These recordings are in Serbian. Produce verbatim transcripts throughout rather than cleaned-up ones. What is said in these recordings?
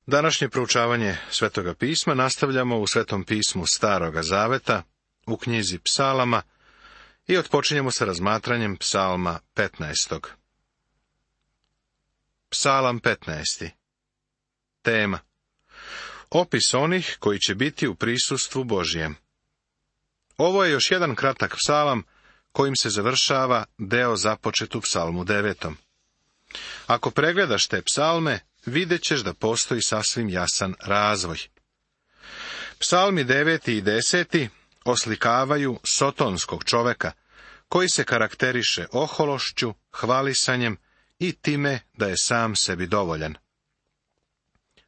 Današnje proučavanje Svetoga pisma nastavljamo u Svetom pismu Staroga zaveta, u knjizi Psalama, i otpočinjemo sa razmatranjem Psalma petnaestog. Psalam petnaesti. Tema: opis onih koji će biti u prisustvu Božijem. Ovo je još jedan kratak psalam kojim se završava deo započet u Psalmu devetom. Ako pregledaš te psalme, vidjet ćeš da postoji sasvim jasan razvoj. Psalmi deveti i deseti oslikavaju sotonskog čoveka, koji se karakteriše ohološću, hvalisanjem i time da je sam sebi dovoljan.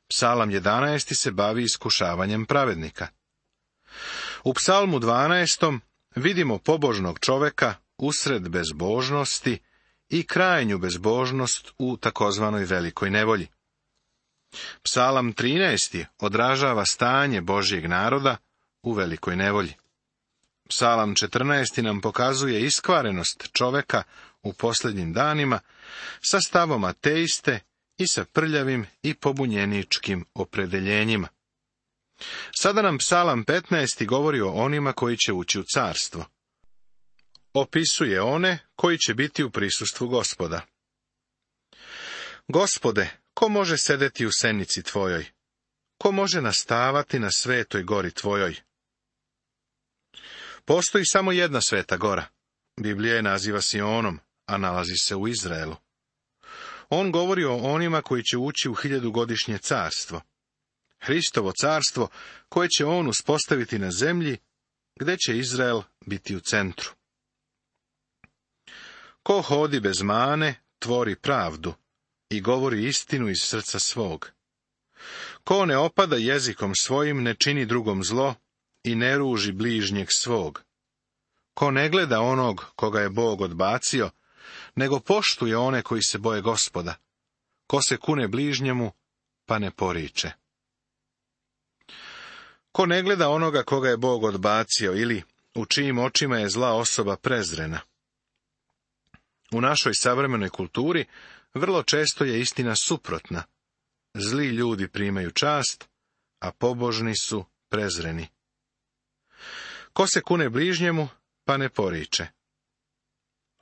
Psalam jedanaesti se bavi iskušavanjem pravednika. U Psalmu dvanaestom vidimo pobožnog čoveka usred bezbožnosti i krajnju bezbožnost u takozvanoj velikoj nevolji. Psalam trinaesti odražava stanje Božjeg naroda u velikoj nevolji. Psalam četrnaesti nam pokazuje iskvarenost čoveka u posljednjim danima sa stavom ateiste i sa prljavim i pobunjeničkim opredeljenjima. Sada nam Psalam petnaesti govori o onima koji će ući u carstvo. Opisuje one koji će biti u prisustvu Gospoda. Gospode, ko može sedeti u senici tvojoj? Ko može nastavati na svetoj gori tvojoj? Postoji samo jedna sveta gora. Biblija je naziva Sionom, a nalazi se u Izraelu. On govori o onima koji će ući u hiljadugodišnje carstvo. Hristovo carstvo koje će on uspostaviti na zemlji, gdje će Izrael biti u centru. Ko hodi bez mane, tvori pravdu i govori istinu iz srca svog. Ko ne opada jezikom svojim, ne čini drugom zlo i ne ruži bližnjeg svog. Ko ne gleda onog koga je Bog odbacio, nego poštuje one koji se boje Gospoda. Ko se kune bližnjemu, pa ne poriče. Ko ne gleda onoga koga je Bog odbacio ili u čijim očima je zla osoba prezrena. U našoj savremenoj kulturi vrlo često je istina suprotna. Zli ljudi primaju čast, a pobožni su prezreni. Ko se kune bližnjemu, pa ne poriče.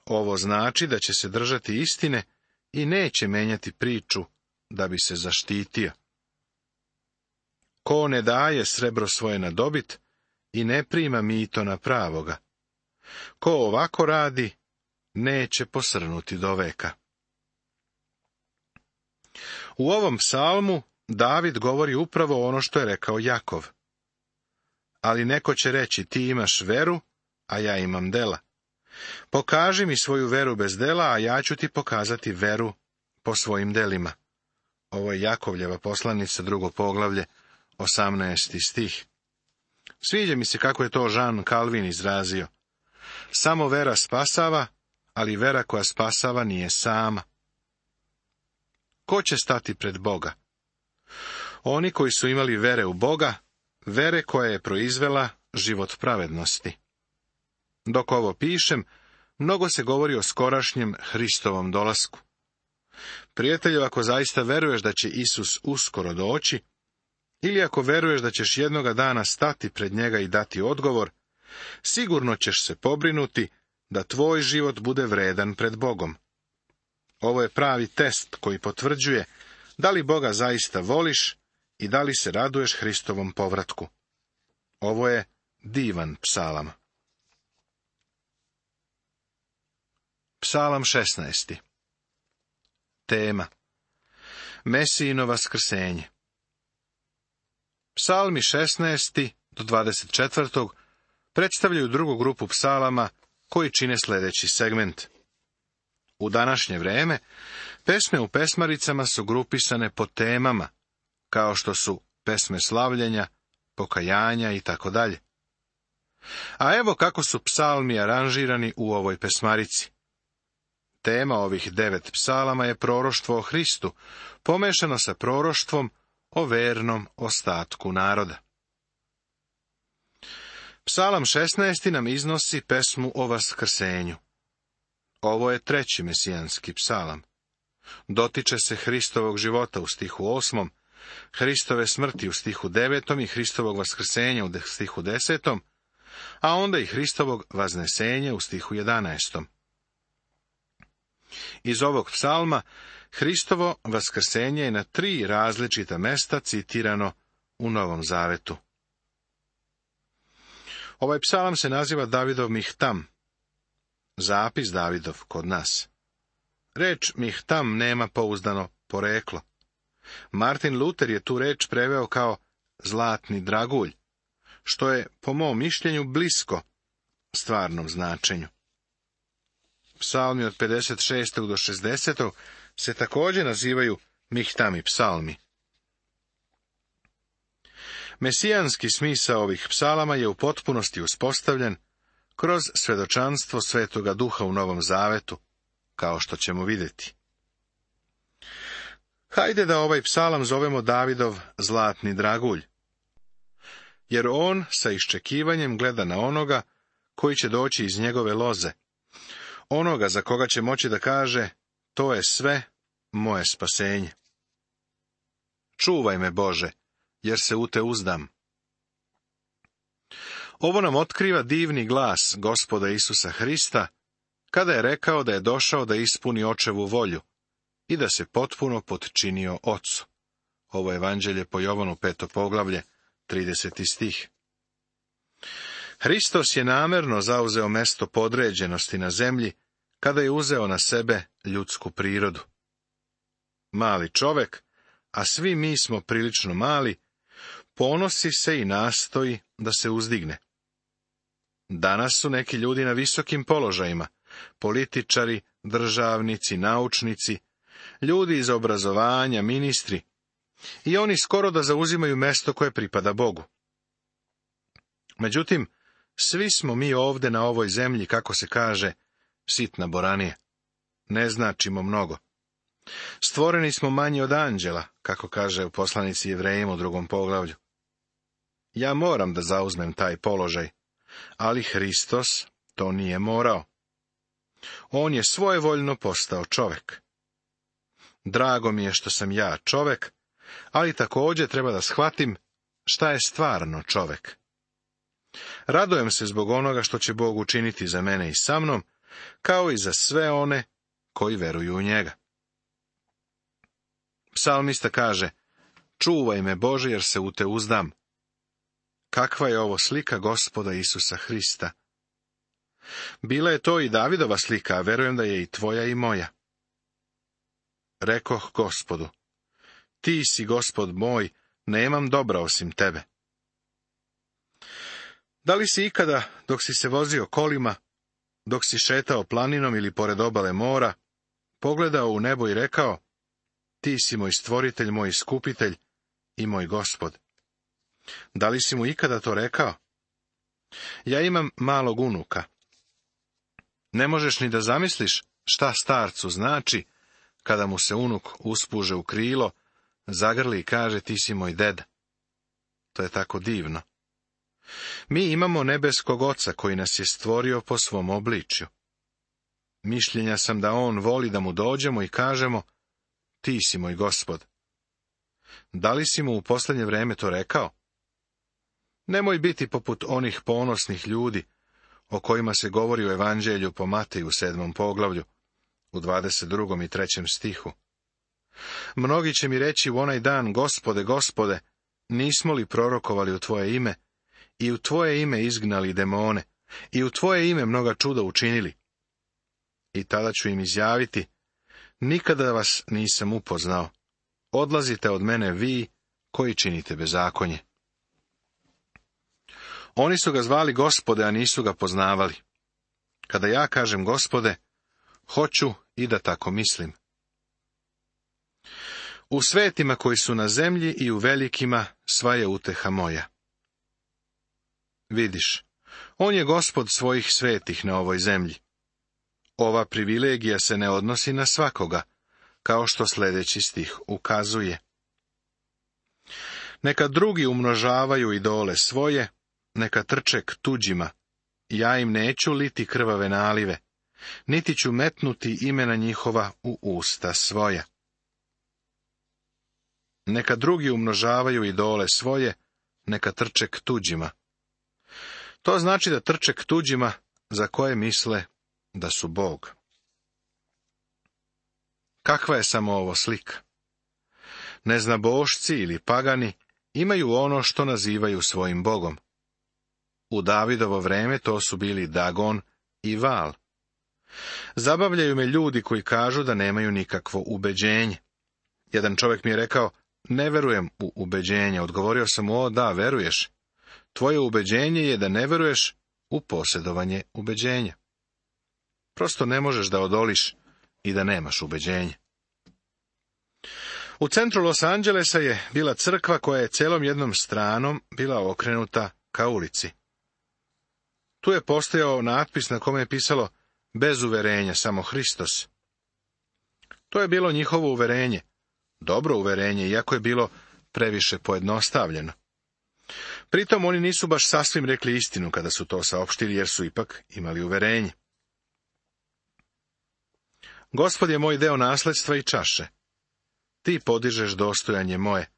Ovo znači da će se držati istine i neće menjati priču da bi se zaštitio. Ko ne daje srebro svoje na dobit i ne prima mito na pravoga. Ko ovako radi, neće posrnuti do veka. U ovom psalmu David govori upravo ono što je rekao Jakov. Ali neko će reći, ti imaš veru, a ja imam dela. Pokaži mi svoju veru bez dela, a ja ću ti pokazati veru po svojim delima. Ovo je Jakovljeva poslanica, drugo poglavlje, osamnaesti stih. Sviđa mi se kako je to Jean Calvin izrazio. Samo vera spasava, ali vera koja spasava nije sama. Ko će stati pred Boga? Oni koji su imali vere u Boga, vere koja je proizvela život pravednosti. Dok ovo pišem, mnogo se govori o skorašnjem Hristovom dolasku. Prijatelju, ako zaista veruješ da će Isus uskoro doći, ili ako veruješ da ćeš jednoga dana stati pred njega i dati odgovor, sigurno ćeš se pobrinuti da tvoj život bude vredan pred Bogom. Ovo je pravi test koji potvrđuje da li Boga zaista voliš i da li se raduješ Hristovom povratku. Ovo je divan psalam. Psalam šesnaesti. Tema: Mesijino vaskrsenje. Psalmi šesnaesti do dvadeset četvrti predstavljaju drugu grupu psalama koji čine sljedeći segment. U današnje vrijeme pesme u pesmaricama su grupisane po temama, kao što su pesme slavljenja, pokajanja i tako dalje. A evo kako su psalmi aranžirani u ovoj pesmarici. Tema ovih devet psalama je proroštvo o Hristu, pomešano sa proroštvom o vernom ostatku naroda. Psalam šesnaesti nam iznosi pesmu o vaskrsenju. Ovo je treći mesijanski psalam. Dotiče se Hristovog života u stihu osmom, Hristove smrti u stihu devetom i Hristovog vaskrsenja u stihu desetom, a onda i Hristovog vaznesenja u stihu jedanaestom. Iz ovog psalma Hristovo vaskrsenje je na tri različita mesta citirano u Novom Zavetu. Ovaj psalam se naziva Davidov Mihtam, zapis Davidov kod nas. Reč Mihtam nema pouzdano poreklo. Martin Luther je tu reč preveo kao zlatni dragulj, što je, po mom mišljenju, blisko stvarnom značenju. Psalmi od pedeset šestog do šezdesetog se također nazivaju Mihtami psalmi. Mesijanski smisao ovih psalama je u potpunosti uspostavljen kroz svedočanstvo Svetoga Duha u Novom Zavetu, kao što ćemo vidjeti. Hajde da ovaj psalam zovemo Davidov zlatni dragulj, jer on sa iščekivanjem gleda na onoga koji će doći iz njegove loze, onoga za koga će moći da kaže, to je sve moje spasenje. Čuvaj me, Bože, jer se u te uzdam. Ovo nam otkriva divni glas Gospoda Isusa Hrista, kada je rekao da je došao da ispuni očevu volju i da se potpuno potčinio Ocu. Ovo je Evanđelje po Jovanu, peto poglavlje, trideseti stih. Hristos je namerno zauzeo mesto podređenosti na zemlji, kada je uzeo na sebe ljudsku prirodu. Mali čovek, a svi mi smo prilično mali, ponosi se i nastoji da se uzdigne. Danas su neki ljudi na visokim položajima, političari, državnici, naučnici, ljudi iz obrazovanja, ministri, i oni skoro da zauzimaju mesto koje pripada Bogu. Međutim, svi smo mi ovde na ovoj zemlji, kako se kaže, sitna boranija. Ne značimo mnogo. Stvoreni smo manji od anđela, kako kaže u poslanici Jevrejima u drugom poglavlju. Ja moram da zauzmem taj položaj, ali Hristos to nije morao. On je svojevoljno postao čovek. Drago mi je što sam ja čovek, ali također treba da shvatim šta je stvarno čovek. Radujem se zbog onoga što će Bog učiniti za mene i sa mnom, kao i za sve one koji veruju u njega. Psalmista kaže, čuvaj me, Bože, jer se u te uzdam. Kakva je ovo slika Gospoda Isusa Hrista? Bila je to i Davidova slika, a verujem da je i tvoja i moja. Rekoh Gospodu, ti si Gospod moj, nemam dobra osim tebe. Da li si ikada, dok si se vozio kolima, dok si šetao planinom ili pored obale mora, pogledao u nebo i rekao, ti si moj stvoritelj, moj iskupitelj i moj Gospod? Da li si mu ikada to rekao? Ja imam malog unuka. Ne možeš ni da zamisliš šta starcu znači, kada mu se unuk uspuže u krilo, zagrli i kaže, ti si moj deda. To je tako divno. Mi imamo nebeskog Oca koji nas je stvorio po svom obličju. Mišljenja sam da on voli da mu dođemo i kažemo, ti si moj Gospod. Da li si mu u posljednje vreme to rekao? Nemoj biti poput onih ponosnih ljudi, o kojima se govori u Evanđelju po Mateju u sedmom poglavlju, u dvadeset drugom i trećem stihu. Mnogi će mi reći u onaj dan, Gospode, Gospode, nismo li prorokovali u tvoje ime, i u tvoje ime izgnali demone, i u tvoje ime mnoga čuda učinili? I tada ću im izjaviti, nikada vas nisam upoznao, odlazite od mene vi koji činite bezakonje. Oni su ga zvali Gospode, a nisu ga poznavali. Kada ja kažem Gospode, hoću i da tako mislim. U svetima koji su na zemlji i u velikima sva je uteha moja. Vidiš, on je Gospod svojih svetih na ovoj zemlji. Ova privilegija se ne odnosi na svakoga, kao što sljedeći stih ukazuje. Neka drugi umnožavaju idole svoje, neka trče k tuđima, ja im neću liti krvave nalive, niti ću metnuti imena njihova u usta svoja. Neka drugi umnožavaju idole svoje, neka trče k tuđima. To znači da trče k tuđima za koje misle da su Bog. Kakva je samo ovo slika? Neznabošci ili pagani imaju ono što nazivaju svojim Bogom. U Davidovo vreme to su bili Dagon i Val. Zabavljaju me ljudi koji kažu da nemaju nikakvo ubeđenje. Jedan čovjek mi je rekao, ne verujem u ubeđenje. Odgovorio sam mu, o da, veruješ. Tvoje ubeđenje je da ne veruješ u posjedovanje ubeđenja. Prosto ne možeš da odoliš i da nemaš ubeđenje. U centru Los Angelesa je bila crkva koja je celom jednom stranom bila okrenuta ka ulici. Tu je postojao natpis na kome je pisalo bez uverenja, samo Hristos. To je bilo njihovo uverenje, dobro uverenje, iako je bilo previše pojednostavljeno. Pritom oni nisu baš sasvim rekli istinu kada su to saopštili, jer su ipak imali uverenje. Gospod je moj deo nasledstva i čaše. Ti podižeš dostojanje moje.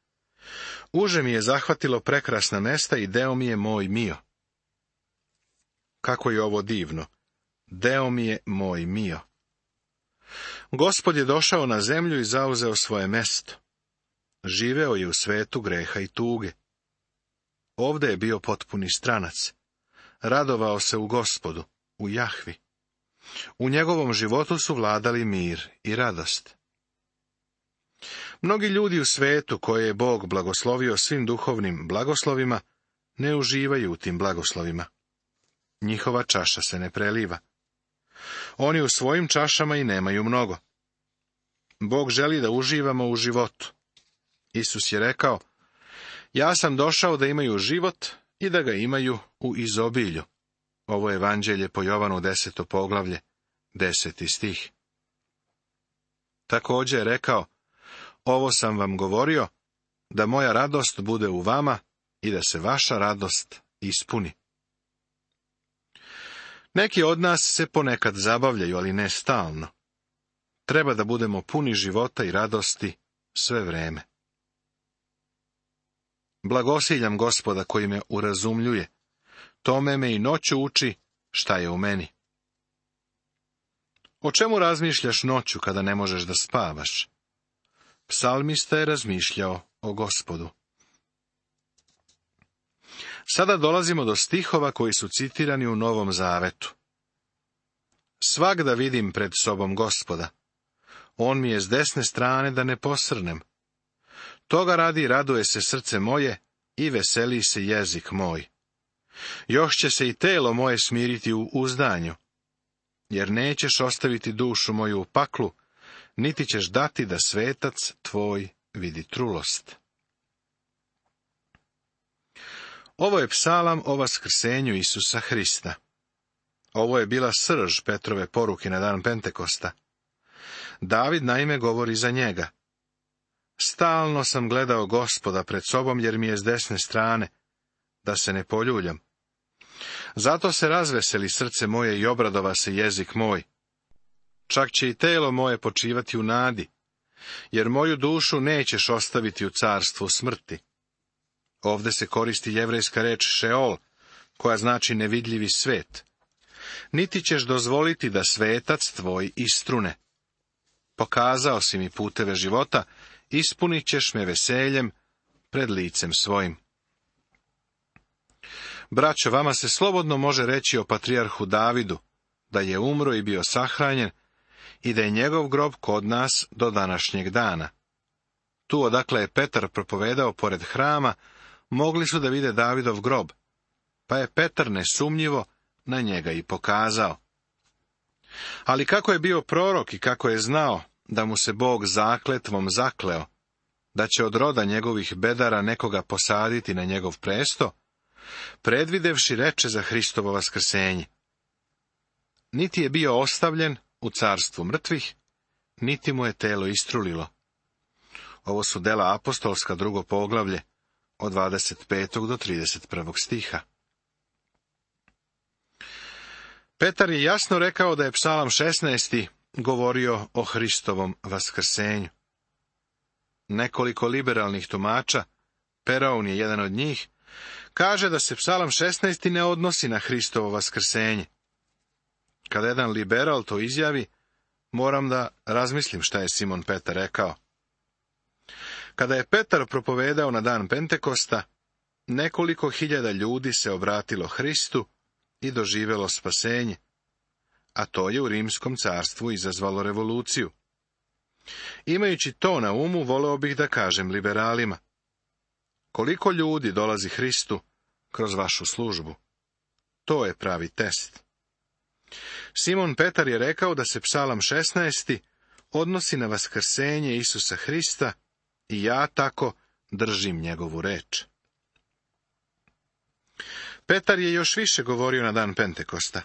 Uže mi je zahvatilo prekrasna mesta i deo mi je moj mio. Kako je ovo divno. Deo mi je moj mio. Gospod je došao na zemlju i zauzeo svoje mesto. Živeo je u svetu greha i tuge. Ovde je bio potpuni stranac. Radovao se u Gospodu, u Jahvi. U njegovom životu su vladali mir i radost. Mnogi ljudi u svetu koje je Bog blagoslovio svim duhovnim blagoslovima, ne uživaju u tim blagoslovima. Njihova čaša se ne preliva. Oni u svojim čašama i nemaju mnogo. Bog želi da uživamo u životu. Isus je rekao, ja sam došao da imaju život i da ga imaju u izobilju. Ovo je evanđelje po Jovanu deseto poglavlje, deseti stih. Također je rekao, ovo sam vam govorio, da moja radost bude u vama i da se vaša radost ispuni. Neki od nas se ponekad zabavljaju, ali ne stalno. Treba da budemo puni života i radosti sve vreme. Blagosiljam Gospoda koji me urazumljuje. Tome me i noću uči šta je u meni. O čemu razmišljaš noću kada ne možeš da spavaš? Psalmista je razmišljao o Gospodu. Sada dolazimo do stihova koji su citirani u Novom Zavetu. Svagda vidim pred sobom Gospoda. On mi je s desne strane da ne posrnem. Toga radi raduje se srce moje i veseli se jezik moj. Još će se i telo moje smiriti u uzdanju, jer nećeš ostaviti dušu moju u paklu, niti ćeš dati da svetac tvoj vidi trulost. Ovo je psalam o vaskrsenju Isusa Hrista. Ovo je bila srž Petrove poruke na dan Pentekosta. David naime govori za njega. Stalno sam gledao Gospoda pred sobom, jer mi je s desne strane, da se ne poljuljam. Zato se razveseli srce moje i obradova se jezik moj. Čak će i telo moje počivati u nadi, jer moju dušu nećeš ostaviti u carstvu smrti. Ovde se koristi jevrejska reč Šeol, koja znači nevidljivi svet. Niti ćeš dozvoliti da svetac tvoj istrune. Pokazao si mi puteve života, ispunit ćeš me veseljem pred licem svojim. Braćo, vama se slobodno može reći o patrijarhu Davidu, da je umro i bio sahranjen, i da je njegov grob kod nas do današnjeg dana. Tu odakle je Petar propovedao pored hrama, mogli su da vide Davidov grob, pa je Petar nesumnjivo na njega i pokazao. Ali kako je bio prorok i kako je znao da mu se Bog zakletvom zakleo, da će od roda njegovih bedara nekoga posaditi na njegov presto, predvidevši reče za Hristovo vaskrsenje. Niti je bio ostavljen u carstvu mrtvih, niti mu je telo istrulilo. Ovo su dela apostolska, drugo poglavlje, od dvadeset petog do trideset prvog stiha. Petar je jasno rekao da je psalam šesnaesti govorio o Hristovom vaskrsenju. Nekoliko liberalnih tumača, Peraun je jedan od njih, kaže da se Psalam šesnaest ne odnosi na Hristovo vaskrsenje. Kada jedan liberal to izjavi, moram da razmislim šta je Simon Petar rekao. Kada je Petar propovedao na dan Pentekosta, nekoliko hiljada ljudi se obratilo Hristu i doživelo spasenje, a to je u Rimskom carstvu izazvalo revoluciju. Imajući to na umu, voleo bih da kažem liberalima: koliko ljudi dolazi Hristu kroz vašu službu? To je pravi test. Simon Petar je rekao da se Psalam šesnaest odnosi na vaskrsenje Isusa Hrista i ja tako držim njegovu reč. Petar je još više govorio na dan Pentekosta.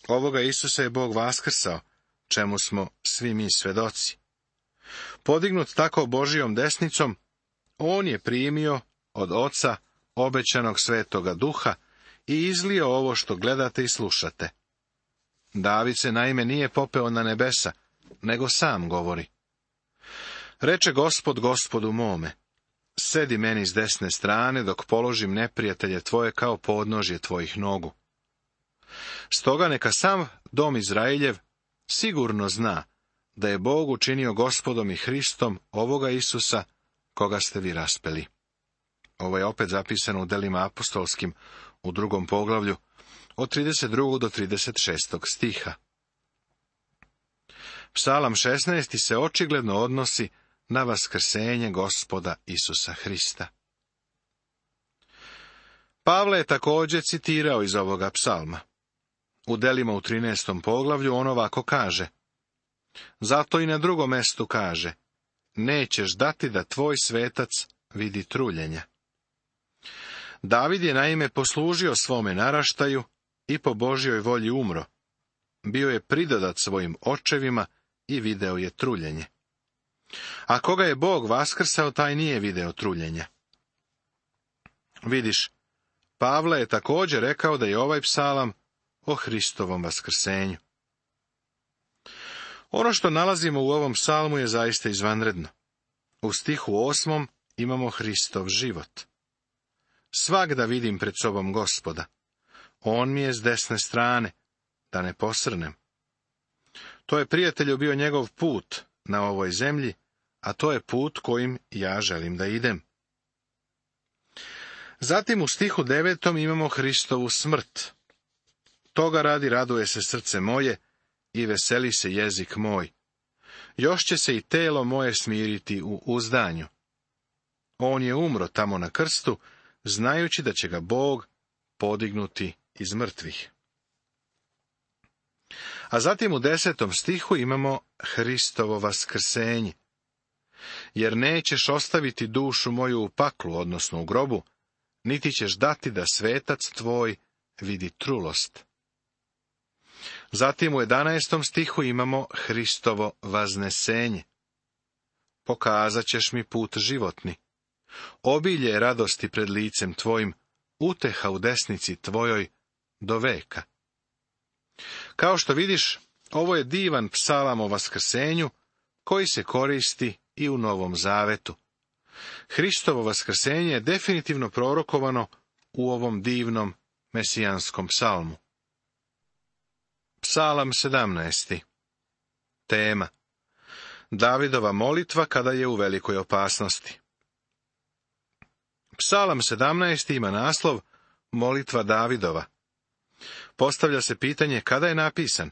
Ovoga Isusa je Bog vaskrsao, čemu smo svi mi svedoci. Podignut tako Božijom desnicom, on je primio od Oca obećanog Svetoga Duha i izlio ovo što gledate i slušate. David se naime nije popeo na nebesa, nego sam govori: reče Gospod Gospodu mome, sedi meni s desne strane, dok položim neprijatelje tvoje kao podnožje tvojih nogu. Stoga neka sam dom Izraeljev sigurno zna da je Bog učinio Gospodom i Hristom ovoga Isusa, koga ste vi raspeli. Ovo je opet zapisano u Delima apostolskim u drugom poglavlju, od trideset drugog do trideset šestog stiha. Psalam šesnaest se očigledno odnosi na vaskrsenje Gospoda Isusa Hrista. Pavle je također citirao iz ovoga psalma. U Delima u trinaestom poglavlju on ovako kaže: zato i na drugom mestu kaže: nećeš dati da tvoj svetac vidi truljenja. David je naime poslužio svome naraštaju i po Božjoj volji umro. Bio je pridodat svojim očevima i video je truljenje. A koga je Bog vaskrsao, taj nije video truljenja. Vidiš, Pavle je također rekao da je ovaj psalam o Hristovom vaskrsenju. Ono što nalazimo u ovom psalmu je zaista izvanredno. U stihu osmom imamo Hristov život. Svak da vidim pred sobom Gospoda. On mi je s desne strane, da ne posrnem. To je, prijatelju, bio njegov put na ovoj zemlji, a to je put kojim ja želim da idem. Zatim u stihu devetom imamo Hristovu smrt. Toga radi raduje se srce moje i veseli se jezik moj. Još će se i telo moje smiriti u uzdanju. On je umro tamo na krstu, znajući da će ga Bog podignuti iz mrtvih. A zatim u desetom stihu imamo Hristovo vaskrsenje. Jer nećeš ostaviti dušu moju u paklu, odnosno u grobu, niti ćeš dati da svetac tvoj vidi trulost. Zatim u jedanaestom stihu imamo Hristovo vaznesenje. Pokazat ćeš mi put životni. Obilje radosti pred licem tvojim, uteha u desnici tvojoj do veka. Kao što vidiš, ovo je divan psalam o vaskrsenju, koji se koristi i u Novom Zavetu. Hristovo vaskrsenje je definitivno prorokovano u ovom divnom mesijanskom psalmu. Psalam sedamnaest. Tema: Davidova molitva kada je u velikoj opasnosti. Psalam sedamnaest ima naslov Molitva Davidova. Postavlja se pitanje kada je napisan.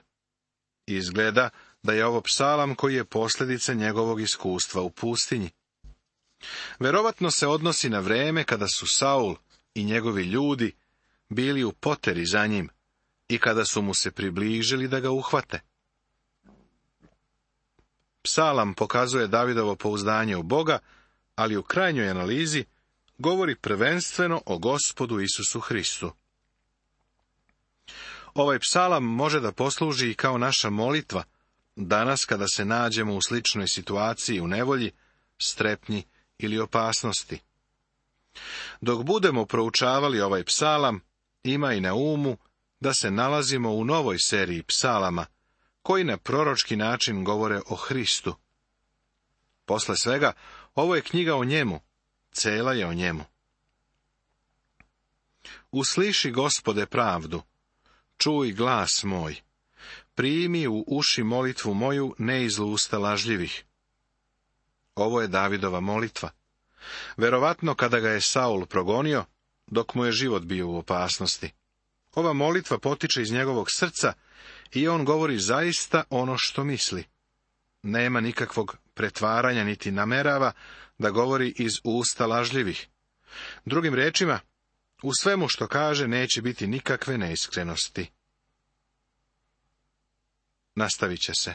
Izgleda da je ovo psalam koji je posljedica njegovog iskustva u pustinji. Verovatno se odnosi na vreme kada su Saul i njegovi ljudi bili u poteri za njim i kada su mu se približili da ga uhvate. Psalam pokazuje Davidovo pouzdanje u Boga, ali u krajnjoj analizi govori prvenstveno o Gospodu Isusu Hristu. Ovaj psalam može da posluži i kao naša molitva danas kada se nađemo u sličnoj situaciji u nevolji, strepnji ili opasnosti. Dok budemo proučavali ovaj psalam, ima i na umu da se nalazimo u novoj seriji psalama, koji na proročki način govore o Hristu. Posle svega, Ovo je knjiga o njemu, cela je o njemu. Usliši, Gospode, pravdu, čuj glas moj, primi u uši molitvu moju, ne iz usta lažljivih. Ovo je Davidova molitva. Verovatno kada ga je Saul progonio, dok mu je život bio u opasnosti. Ova molitva potiče iz njegovog srca i on govori zaista ono što misli. Nema nikakvog pretvaranja niti namerava da govori iz usta lažljivih. Drugim rečima, u svemu što kaže neće biti nikakve neiskrenosti. Nastavit će se.